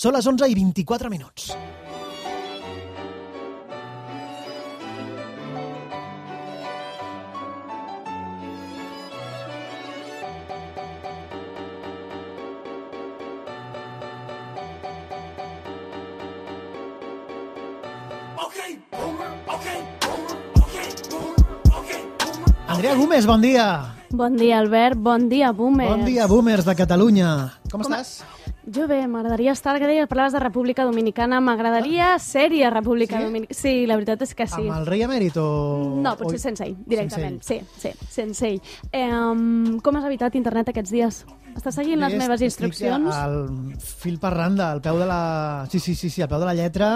Són les 11:24. Andrea Gómez, bon dia. Bon dia, Albert. Bon dia, boomers. Bon dia, boomers de Catalunya. Com estàs? Jo bé, m'agradaria estar... Parlaves de República Dominicana, m'agradaria ser-hi a República Dominicana. Sí, la veritat és que sí. Amb el rei emèrit o...? No, potser sense ell, directament. Sí, sense ell. Com has evitat internet aquests dies? Estàs seguint les meves instruccions? Al fil per randa, al peu de la... Sí, al peu de la lletra.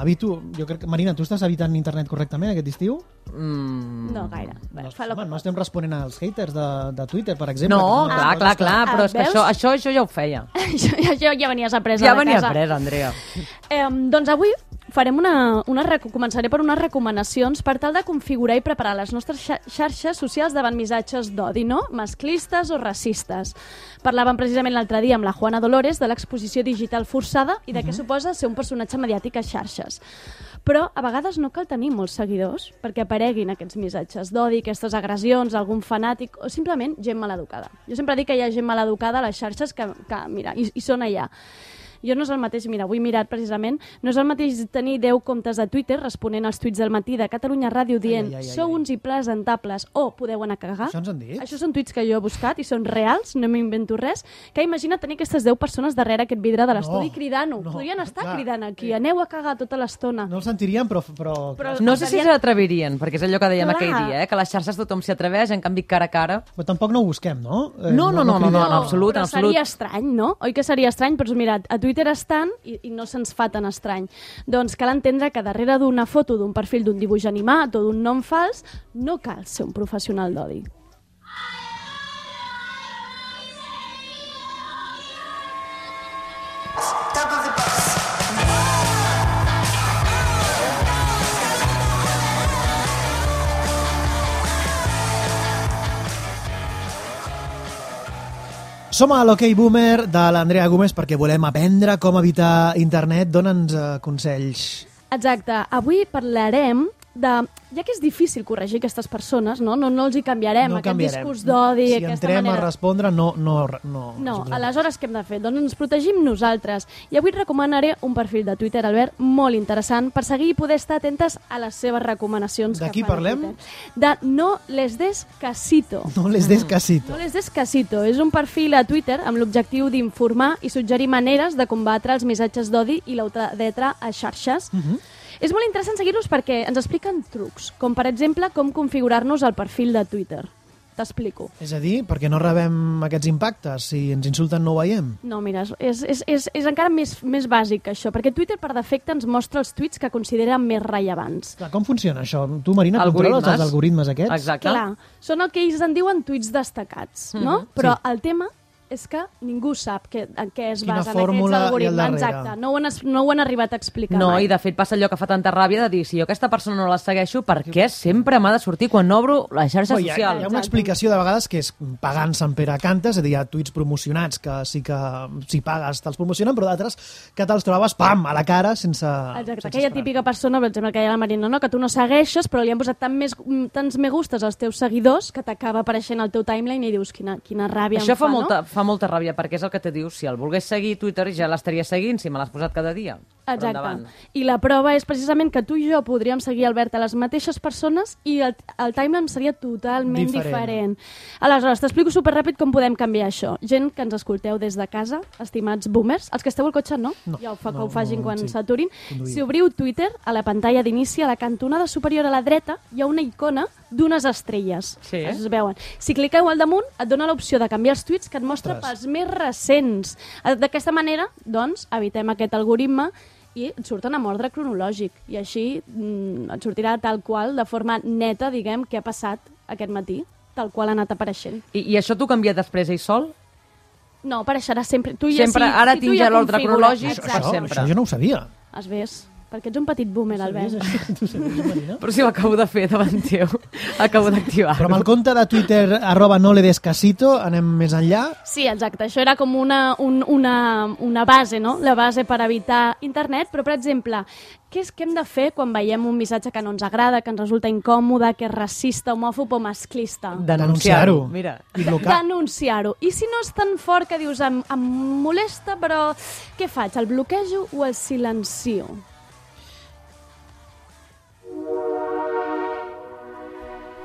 Evito... Jo crec que... Marina, tu estàs evitant internet correctament aquest estiu? No gaire. No estem responent als haters de Twitter, per exemple. No, clar, però és que això ja ho feia. Això ja venies apresa ja de casa. Ja venies apresa, Andrea. Doncs avui farem començaré per unes recomanacions per tal de configurar i preparar les nostres xarxes socials davant missatges d'odi, no? Masclistes o racistes. Parlàvem precisament l'altre dia amb la Juana Dolores de l'exposició digital forçada i de què suposa ser un personatge mediàtic a xarxes. Però a vegades no cal tenir molts seguidors perquè apareguin aquests missatges d'odi, aquestes agressions, algun fanàtic o simplement gent maleducada. Jo sempre dic que hi ha gent maleducada a les xarxes que mira, i són allà. Jo no és el mateix, mira, avui mirat precisament, no és el mateix tenir 10 comptes de Twitter responent als tuits del matí de Catalunya Ràdio dient sou uns impresentables o podeu anar a cagar. Això ens han dit? Això són tuits que jo he buscat i són reals, no m'invento res, que imagina tenir aquestes 10 persones darrere aquest vidre de l'estudi cridant-ho. Podrien estar cridant aquí, aneu a cagar tota l'estona. No el sentirien, però no sé si s'atrevirien, perquè és allò que dèiem aquell dia, que a les xarxes tothom s'hi atreveix, en canvi cara a cara... Però tampoc no ho busquem, no? No, en absolut. Però seria estrany, no? Oi que seria estrany? Però mira, a Twitter estan i no se'ns fa tan estrany. Doncs cal entendre que darrere d'una foto d'un perfil d'un dibuix animat o d'un nom fals no cal ser un professional d'odi. Som a l'Ok Boomer de l'Andrea Gómez perquè volem aprendre com evitar internet. Dóna'ns consells. Exacte. Avui parlarem de... Ja que és difícil corregir aquestes persones, no els hi canviarem, aquest discurs d'odi, aquesta manera... Si entrem a respondre, no. Aleshores què hem de fer? Doncs ens protegim nosaltres. I avui et recomanaré un perfil de Twitter, Albert, molt interessant, per seguir i poder estar atentes a les seves recomanacions. De qui parlem? De No les des casito. No les des casito. No les des casito. És un perfil a Twitter amb l'objectiu d'informar i suggerir maneres de combatre els missatges d'odi i l'ultradreta a xarxes. És molt interessant seguir-los perquè ens expliquen trucs, com per exemple com configurar-nos el perfil de Twitter. T'explico. És a dir, perquè no rebem aquests impactes, si ens insulten no ho veiem. No, mira, és encara més bàsic que això, perquè Twitter per defecte ens mostra els tuits que considera més rellevants. Clar, com funciona això? Tu, Marina, controles els algoritmes aquests? Exacte. Clar, són el que ells en diuen tuits destacats, no? Però el tema és que ningú sap en què es basen aquests algoritmes. Exacte, no ho han arribat a explicar mai. No, i de fet passa allò que fa tanta ràbia de dir, si jo aquesta persona no la segueixo, per què sempre m'ha de sortir quan obro la xarxa social? Hi ha una explicació de vegades que és pagant Sant Pere Cantes, és a dir, hi ha tuits promocionats que sí que si pagues te'ls promocionen, però d'altres que te'ls trobes, pam, a la cara sense... Exacte, aquella típica persona, per exemple, que hi ha la Marina, no? Que tu no segueixes, però li han posat tants me gustes als teus seguidors que t'acaba apareixent al teu timeline i dius quina ràbia això em fa, no? Fa molta ràbia, perquè és el que te dius, si el volgués seguir Twitter ja l'estaria seguint, si me l'has posat cada dia. Exacte. I la prova és precisament que tu i jo podríem seguir, Albert, a les mateixes persones i el timeline seria totalment diferent. Aleshores, t'explico superràpid com podem canviar això. Gent que ens escolteu des de casa, estimats boomers, els que esteu al cotxe no, ja que ho facin quan s'aturin. Si obriu Twitter, a la pantalla d'inici, a la cantonada superior a la dreta, hi ha una icona d'unes estrelles. Sí. Es veuen. Si cliqueu al damunt, et dona l'opció de canviar els tuits que et mostra pels més recents. D'aquesta manera, doncs, evitem aquest algoritme i et surten amb ordre cronològic. I així et sortirà tal qual, de forma neta, diguem, què ha passat aquest matí, tal qual ha anat apareixent. I això t'ho canvia després ell sol? No, apareixerà sempre. Ara tinc ja l'ordre cronològic per sempre. Això jo no ho sabia. Es ves. perquè ets un petit boomer, Albert. Tu sabies, Marina? Però si ho acabo de fer davant teu. Acabo d'activar. Però amb el compte de Twitter @noledescasito anem més enllà. Sí, exacte. Això era com una base, no? La base per evitar internet. Però, per exemple, què hem de fer quan veiem un missatge que no ens agrada, que ens resulta incòmode, que és racista, homòfob o masclista? Denunciar-ho. Mira. I blocar. Denunciar-ho. I si no és tan fort que dius em molesta, però què faig? El bloquejo o el silencio?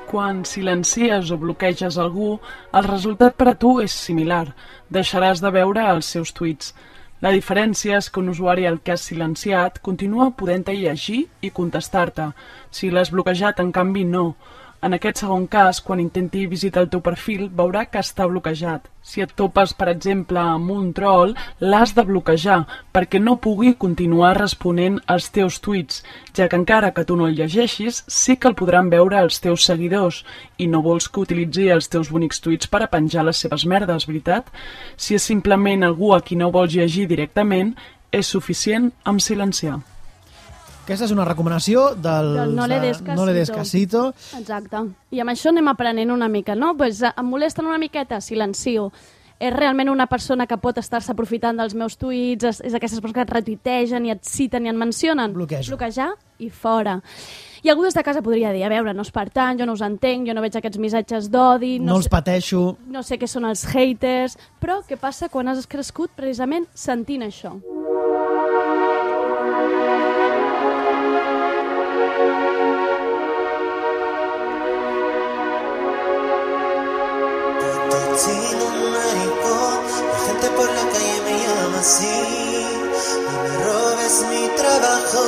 Quan silencies o bloqueges algú, el resultat per a tu és similar. Deixaràs de veure els seus tuits. La diferència és que un usuari al que has silenciat continua podent-te llegir i contestar-te. Si l'has bloquejat, en canvi, no. En aquest segon cas, quan intenti visitar el teu perfil, veurà que està bloquejat. Si et topes, per exemple, amb un troll, l'has de bloquejar perquè no pugui continuar responent als teus tuits, ja que encara que tu no el llegeixis, sí que el podran veure els teus seguidors i no vols que utilitzi els teus bonics tuits per a penjar les seves merdes, veritat? Si és simplement algú a qui no vols llegir directament, és suficient amb silenciar. Aquesta és una recomanació del No le des casito. Exacte. I amb això anem aprenent una mica, no? Pues, em molesten una miqueta, silencio. És realment una persona que pot estar-se aprofitant dels meus tuits, és aquestes persones que et retuitegen i et citen i et mencionen. Bloquejo. Bloquejar i fora. I algú des de casa podria dir, a veure, no és per tant, jo no us entenc, jo no veig aquests missatges d'odi, No els pateixo. no sé què són els haters, però què passa quan has crescut precisament sentint això? Sin un maricón, la gente por la calle me llama así. No me robes mi trabajo,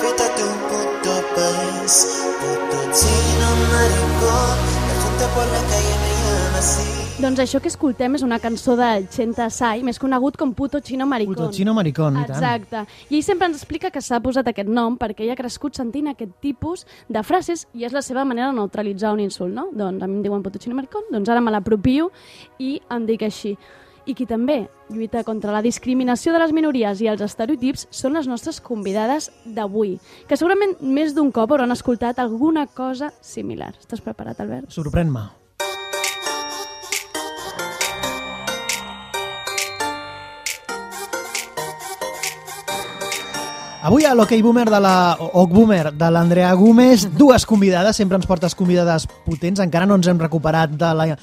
vete a tu puto país. Puto chino maricón, la gente por la calle me llama así. Doncs això que escoltem és una cançó del Chenta Sai, més conegut com Puto Chino Maricón. Puto chino maricón, i tant. Exacte. I ell sempre ens explica que s'ha posat aquest nom perquè ell ha crescut sentint aquest tipus de frases i és la seva manera de neutralitzar un insult, no? Doncs a mi em diuen Puto Chino Maricón, doncs ara me l'apropio i em dic així. I qui també lluita contra la discriminació de les minories i els estereotips són les nostres convidades d'avui, que segurament més d'un cop hauran escoltat alguna cosa similar. Estàs preparat, Albert? Sorprèn-me. Avui a l'Ok Boomer de l'Andrea Gómez, dues convidades, sempre ens portes convidades potents, encara no ens hem recuperat de la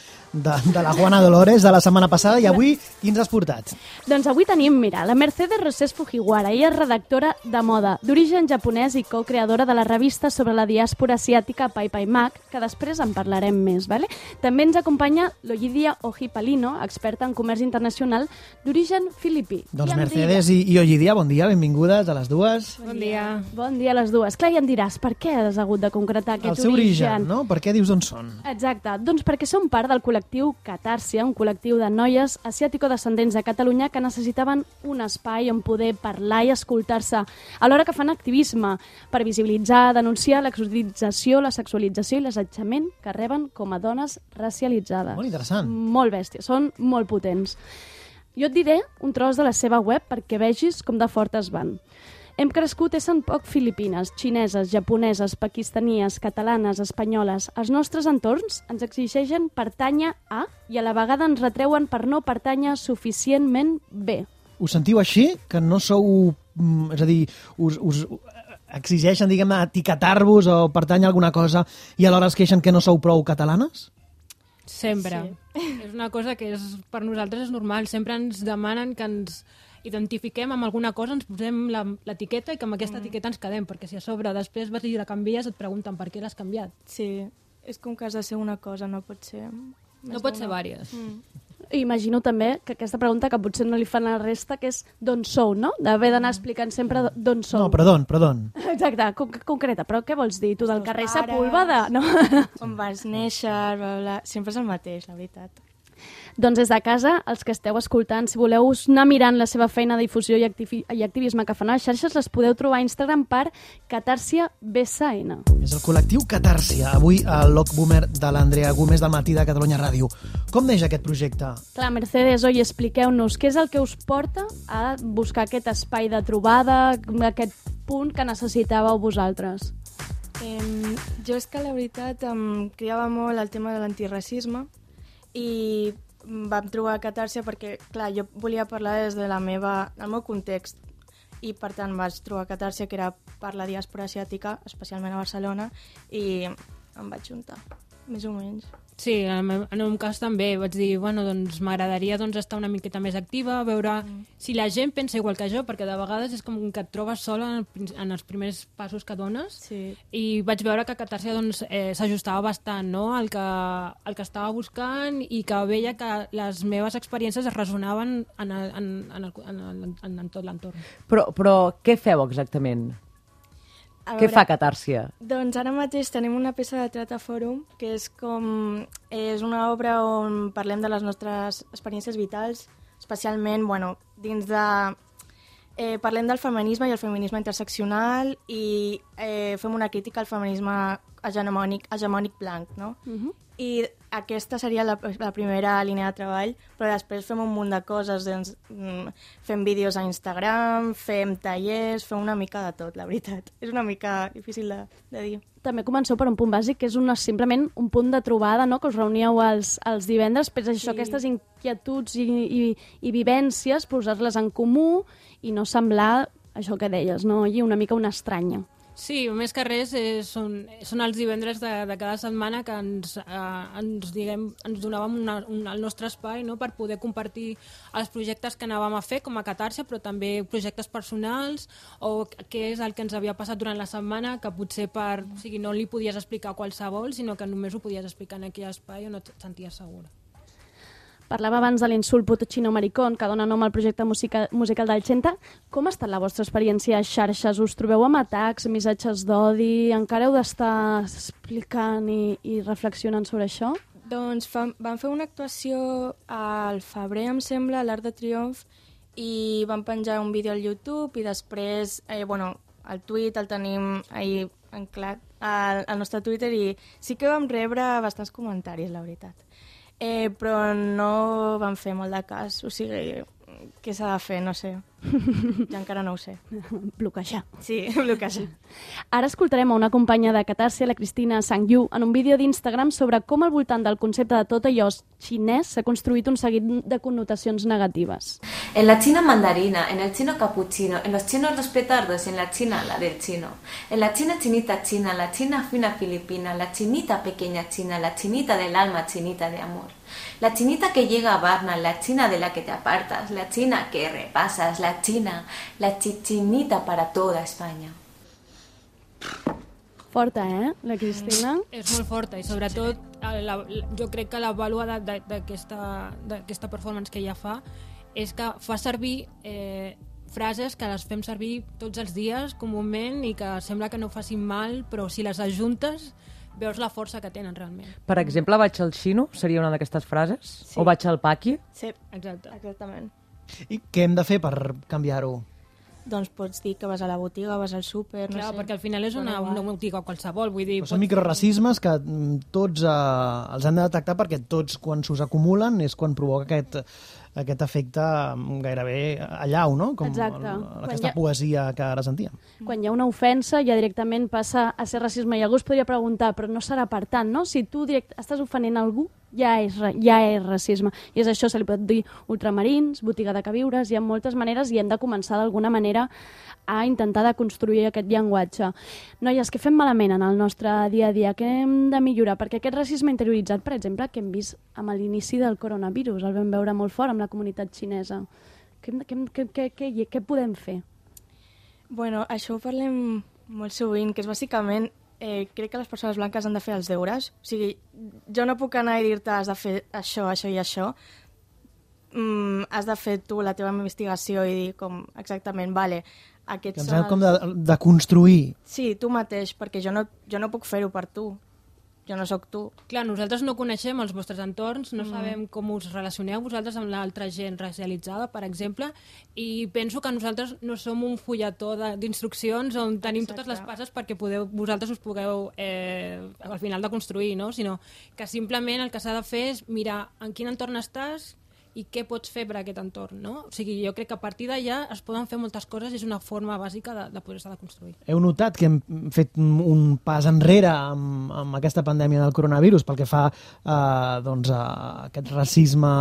Juana Dolores de la setmana passada, i avui qui ens has portat? Doncs avui tenim, mira, la Mercedes Rosés Fujiwara. Ella és redactora de moda, d'origen japonès i co-creadora de la revista sobre la diàspora asiàtica Pai Pai Mag, que després en parlarem més, ¿vale? També ens acompanya l'Oyidia Ojipalino, experta en comerç internacional d'origen filipí. Doncs Mercedes i Oyidia, bon dia, benvingudes a les dues. Bon dia. Bon dia a les dues. Clar, ja em diràs, per què has hagut de concretar aquest El seu origen, no? Per què dius on són? Exacte, doncs perquè som part del col·lectiu Catàrsia, un col·lectiu de noies asiàtico-descendents de Catalunya que necessitaven un espai on poder parlar i escoltar-se, alhora que fan activisme per visibilitzar, denunciar l'exorització, la sexualització i l'assetjament que reben com a dones racialitzades. Molt interessant. Molt bèsties, són molt potents. Jo et diré un tros de la seva web perquè vegis com de fortes van. Hem crescut essent poc filipines, xineses, japoneses, paquistanies, catalanes, espanyoles. Els nostres entorns ens exigeixen pertànyer a i a la vegada ens retreuen per no pertànyer suficientment bé. Us sentiu així? Que no sou... És a dir, us exigeixen, diguem, etiquetar-vos o pertànyer a alguna cosa i alhora es queixen que no sou prou catalanes? Sempre. Sí. És una cosa que per nosaltres és normal. Sempre ens demanen que ens identifiquem amb alguna cosa, ens posem l'etiqueta i que amb aquesta etiqueta ens quedem, perquè si a sobre després vas i la canvies et pregunten per què l'has canviat. Sí, és com que has de ser una cosa, no pot ser... No pot ser vàries. Imagino també que aquesta pregunta que potser no li fan a la resta, que és d'on sou, no? D'haver d'anar explicant sempre d'on sou. No, perdó. Exacte, concreta, però què vols dir? Tu del carrer pares. Sepúlveda? No. On vas néixer, bla, bla, sempre és el mateix, la veritat. Doncs des de casa, els que esteu escoltant, si voleu anar mirant la seva feina de difusió i activisme que fan a les xarxes, les podeu trobar a Instagram per Catàrsia BSN. És el col·lectiu Catàrsia, avui a l'Ok Boomer de l'Andrea Gómez del Matí de Catalunya Ràdio. Com neix aquest projecte? Clar, Mercedes, oi, expliqueu-nos què és el que us porta a buscar aquest espai de trobada, aquest punt que necessitàveu vosaltres? Jo és que la veritat em criava molt el tema de l'antiracisme i vam trobar Catàrsia perquè, clar, jo volia parlar des del meu context i per tant vaig trobar Catàrsia, que era per la diàspora asiàtica, especialment a Barcelona, i em vaig juntar, més o menys. Sí, en el meu cas també vaig dir, bueno, doncs m'agradaria estar una miqueta més activa, veure si la gent pensa igual que jo, perquè de vegades és com que et trobes sola en els primers passos que dones, Sí. i vaig veure que Catàrsia s'ajustava bastant, no?, el que estava buscant, i que veia que les meves experiències es resonaven en tot l'entorn. Però què feu exactament? Què fa Catàrsia? Doncs ara mateix tenim una peça de teatre fòrum, que és una obra on parlem de les nostres experiències vitals, especialment, dins de... parlem del feminisme i el feminisme interseccional i fem una crítica al feminisme hegemònic blanc, no? I aquesta seria la primera línia de treball, però després fem un munt de coses, doncs, fem vídeos a Instagram, fem tallers, fem una mica de tot, la veritat. És una mica difícil de dir. També comenceu per un punt bàsic, que és simplement un punt de trobada, no?, que us reuníeu els divendres, però això, aquestes inquietuds i vivències, posar-les en comú i no semblar, això que deies, no?, una mica una estranya. Sí, més que res són els divendres de cada setmana que ens donàvem el nostre espai, no?, per poder compartir els projectes que anàvem a fer com a Catàrsia, però també projectes personals o què és el que ens havia passat durant la setmana, que potser no li podies explicar a qualsevol, sinó que només ho podies explicar en aquell espai on et senties segura. Parlava abans de l'insult puto chino maricón, que dona nom al projecte musical del Xenta. Com ha estat la vostra experiència a xarxes? Us trobeu amb atacs, missatges d'odi? Encara heu d'estar explicant i reflexionant sobre això? Doncs vam fer una actuació al febrer, em sembla, a l'Arc de Triomf, i vam penjar un vídeo al YouTube i després, el tuit el tenim ahir anclat al nostre Twitter i sí que vam rebre bastants comentaris, la veritat. Però no van fer molt de cas, o sigui, què s'ha de fer, no sé. Jo encara no ho sé. Bloquejar. Sí, bloquejar. Ara escoltarem a una companya de Catàrsia, la Cristina Sang-Yu, en un vídeo d'Instagram sobre com al voltant del concepte de tot allò xinès s'ha construït un seguit de connotacions negatives. En la China mandarina, en el chino capuchino, en los chinos los petardos, en la China la del chino. En la China chinita china, la China fina filipina, la chinita pequeña china, la chinita del alma, chinita de amor. La chinita que llega a Varna, la China de la que te apartas, la China que repasas, la China, la chichinita para toda España. Forta, la Cristina? És molt forta i sobretot jo crec que la vàlua d'aquesta performance que ella fa és que fa servir frases que les fem servir tots els dies comúment i que sembla que no facin mal, però si les ajuntes veus la força que tenen realment. Per exemple, vaig al xino, seria una d'aquestes frases? Sí. O vaig al paqui? Sí, Exacte. exactament. I què hem de fer per canviar-ho? Doncs pots dir que vas a la botiga, vas al súper, no Clar, sé. perquè al final és una botiga qualsevol, vull dir... Però són microracismes que tots els hem de detectar perquè tots, quan s'us acumulen, és quan provoca aquest efecte gairebé allau, no? Com Exacte. aquesta poesia que ara sentíem. Quan hi ha una ofensa ja directament passa a ser racisme i algú es podria preguntar, però no serà per tant, no? Si tu estàs ofenent algú, ja és racisme. I és això, se li pot dir ultramarins, botiga de queviures, hi ha moltes maneres i hem de començar d'alguna manera a intentar de construir aquest llenguatge. Noies, què fem malament en el nostre dia a dia? Què hem de millorar? Perquè aquest racisme interioritzat, per exemple, que hem vist amb l'inici del coronavirus, el vam veure molt fort amb la comunitat xinesa. Què podem fer? Bueno, això ho parlem molt sovint, que és bàsicament crec que les persones blanques han de fer els deures. O sigui, jo no puc anar i dir-te has de fer això, això i això. Has de fer tu la teva investigació i dir com exactament, vale, aquests Ens hem com de construir. Sí, tu mateix, perquè jo no puc fer-ho per tu. Jo no sóc tu. Clar, nosaltres no coneixem els vostres entorns, no sabem com us relacioneu vosaltres amb l'altra gent racialitzada, per exemple, i penso que nosaltres no som un fulletó d'instruccions on tenim totes les passes perquè vosaltres us pugueu al final de construir, no? Sinó que simplement el que s'ha de fer és mirar en quin entorn estàs, i què pots fer per a aquest entorn, no? O sigui, jo crec que a partir d'allà es poden fer moltes coses i és una forma bàsica de poder-se de construir. Heu notat que hem fet un pas enrere amb aquesta pandèmia del coronavirus pel que fa doncs, a aquest racisme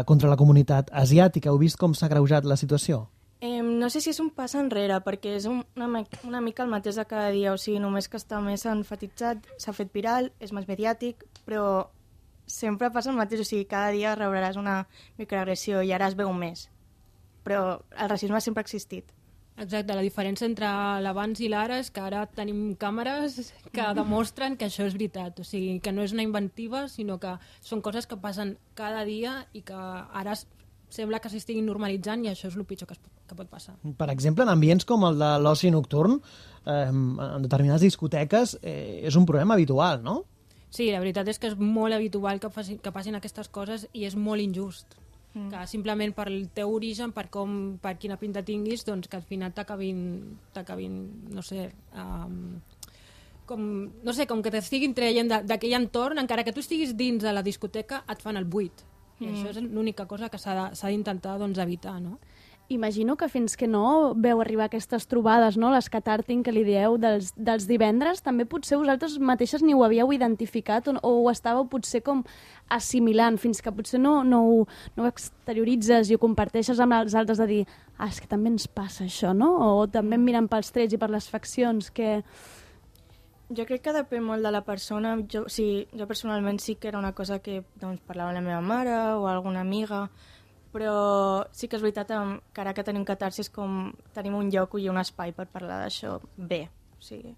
contra la comunitat asiàtica. Heu vist com s'ha agreujat la situació? No sé si és un pas enrere, perquè és una mica el mateix de cada dia, o sigui, només que està més enfatitzat, s'ha fet viral, és més mediàtic, però sempre passa el mateix, o sigui, cada dia rebràs una microagressió i ara es veu més. Però el racisme sempre ha existit. Exacte, la diferència entre l'abans i l'ara és que ara tenim càmeres que demostren que això és veritat, o sigui, que no és una inventiva, sinó que són coses que passen cada dia i que ara sembla que s'estiguin normalitzant i això és el pitjor que pot passar. Per exemple, en ambients com el de l'oci nocturn, en determinades discoteques, és un problema habitual, no? Sí, la veritat és que és molt habitual que passin aquestes coses i és molt injust. Que simplement per el teu origen, per quina pinta tinguis, doncs que al final t'acabin, no sé, com que t'estiguin traient d'aquell entorn, encara que tu estiguis dins de la discoteca, et fan el buit. I això és l'única cosa que s'ha d'intentar doncs, evitar, no? Imagino que fins que no veu arribar aquestes trobades, no? Les catàrting que li dieu dels divendres, també potser vosaltres mateixes ni ho havíeu identificat o ho estàveu potser com assimilant, fins que potser no ho exterioritzes i ho comparteixes amb els altres de dir és que també ens passa això, no? O també mirant pels trets i per les faccions que... Jo crec que depèn molt de la persona. Jo personalment sí que era una cosa que doncs, parlava amb la meva mare o alguna amiga, però sí que és veritat que ara que tenim catarsis com tenim un lloc i un espai per parlar d'això bé. O sigui.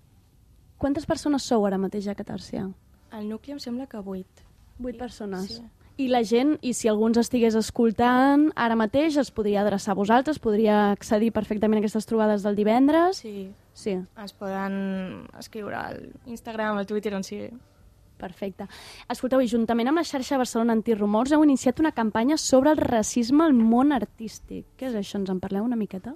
Quantes persones sou ara mateix a Catàrsia? Al nucli em sembla que 8. 8 persones. Sí. I la gent, i si algú ens estigués escoltant ara mateix, es podria adreçar a vosaltres, podria accedir perfectament a aquestes trobades del divendres? Sí. Es poden escriure al Instagram, al Twitter, on sigui. Perfecte. Escolteu, i juntament amb la xarxa Barcelona Antirumors heu iniciat una campanya sobre el racisme al món artístic. Què és això? Ens en parleu una miqueta?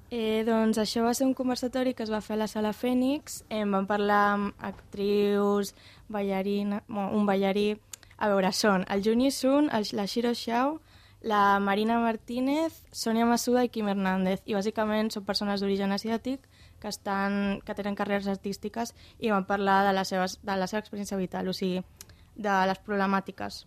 Doncs això va ser un conversatori que es va fer a la Sala Fènix. Vam parlar amb actrius, un ballarí. A veure, són el Juni Sun, la Shiro Xiao, la Marina Martínez, Sònia Massuda i Quim Hernández. I bàsicament són persones d'origen asiàtic que tenen carreres artístiques i van parlar de la seva experiència vital, o sigui, de les problemàtiques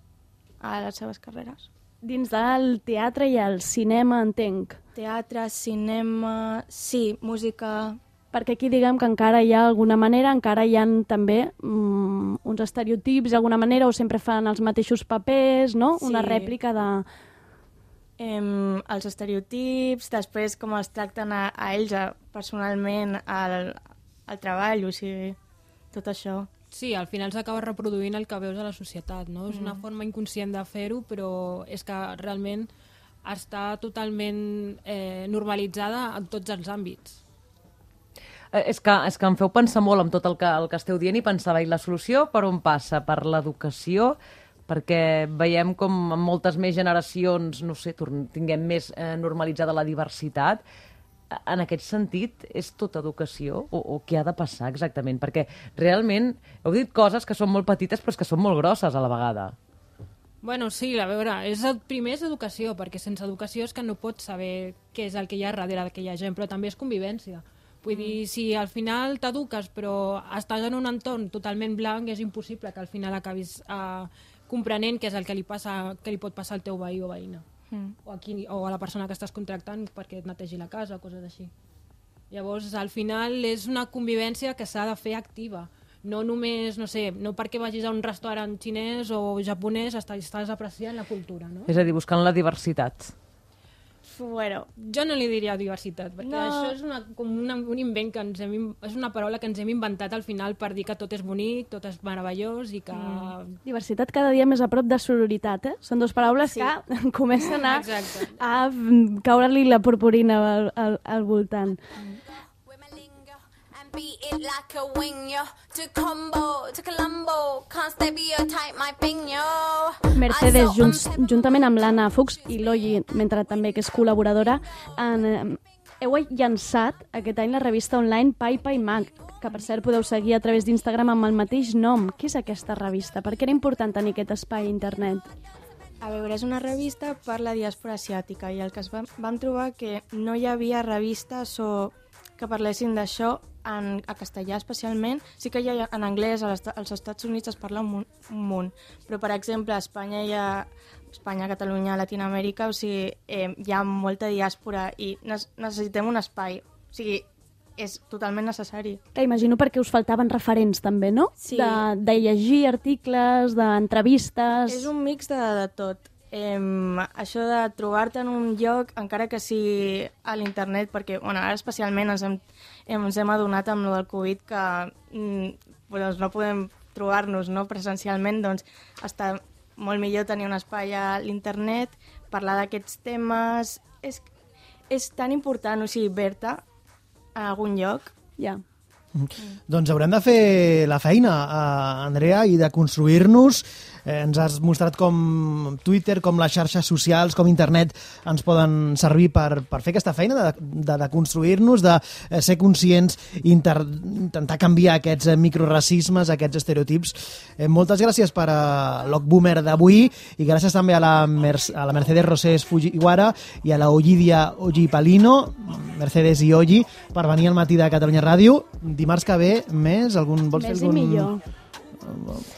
a les seves carreres. Dins del teatre i el cinema, entenc. Teatre, cinema, sí, música... Perquè aquí diguem que encara hi ha alguna manera, encara hi ha també uns estereotips d'alguna manera, o sempre fan els mateixos papers, no? Sí. Una rèplica de... els estereotips, després com els tracten a ells personalment al treball, o sigui, tot això. Sí, al final s'acaba reproduint el que veus a la societat, no? És una forma inconscient de fer-ho, però és que realment està totalment normalitzada en tots els àmbits. És que em feu pensar molt amb tot el que esteu dient i pensava, i la solució per on passa? Per l'educació? Perquè veiem com en moltes més generacions, no sé, tinguem més normalitzada la diversitat. En aquest sentit, és tota educació? O què ha de passar exactament? Perquè realment heu dit coses que són molt petites però que són molt grosses a la vegada. Bueno, sí, a veure, primer és educació, perquè sense educació és que no pots saber què és el que hi ha darrere d'aquella gent, però també és convivència. Vull dir, si al final t'eduques però estàs en un entorn totalment blanc, és impossible que al final acabis comprenent què és el que li pot passar al teu veí o veïna. O a la persona que estàs contractant perquè et netegi la casa o coses així. Llavors, al final, és una convivència que s'ha de fer activa. No només, no sé, no perquè vagis a un restaurant xinès o japonès estàs apreciant la cultura, no? És a dir, buscant la diversitat. Bueno, jo no li diria diversitat, perquè això és un invent que és una paraula que ens hem inventat al final per dir que tot és bonic, tot és meravellós i que... Diversitat cada dia més a prop de sororitat, eh? Són dues paraules que comencen a caure-li la purpurina al voltant. Beat it like a wing, yo. To combo, to Colombo, can't stereotype my thing, yo. Mercedes, juntament amb l'Anna Fuchs i l'Oyi, mentre també que és col·laboradora, heu llançat aquest any la revista online Pai Pai Mag, que per cert podeu seguir a través d'Instagram amb el mateix nom. Què és aquesta revista? Per què era important tenir aquest espai a internet? A veure, és una revista per la diàspora asiàtica i el que vam trobar que no hi havia revistes que parlessin d'això a castellà especialment. Sí que hi ha en anglès, als Estats Units es parla un munt, però per exemple a Espanya, Catalunya, Latinoamèrica, o sigui, hi ha molta diàspora i necessitem un espai, o sigui, és totalment necessari. Imagino perquè us faltaven referents també, no? Sí. De llegir articles, d'entrevistes... És un mix de tot. Això de trobar-te en un lloc, encara que sigui a l'internet, perquè ara especialment ens hem adonat amb el del Covid que doncs no podem trobar-nos presencialment, doncs està molt millor tenir un espai a l'internet, parlar d'aquests temes... És tan important, o sigui, ver-te a algun lloc. Ja. Doncs haurem de fer la feina, Andrea, i de construir-nos. Ens has mostrat com Twitter, com les xarxes socials, com internet ens poden servir per fer aquesta feina de construir-nos, de ser conscients i intentar canviar aquests microracismes, aquests estereotips. Moltes gràcies per l'Ogboomer d'avui i gràcies també a la Mercedes Rosés Fujiwara i a la Oyidia Ojipalino, Mercedes i Oyi, per venir al matí de Catalunya Ràdio. Dimarts que ve, més? Vols fer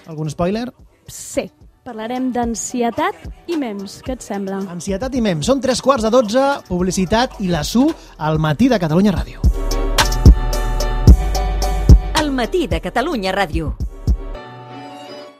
algun spoiler? Sí, parlarem d'ansietat i mems. Què et sembla? Ansietat i mems. Són 11:45, publicitat i la SU al matí de Catalunya Ràdio. Al matí de Catalunya Ràdio.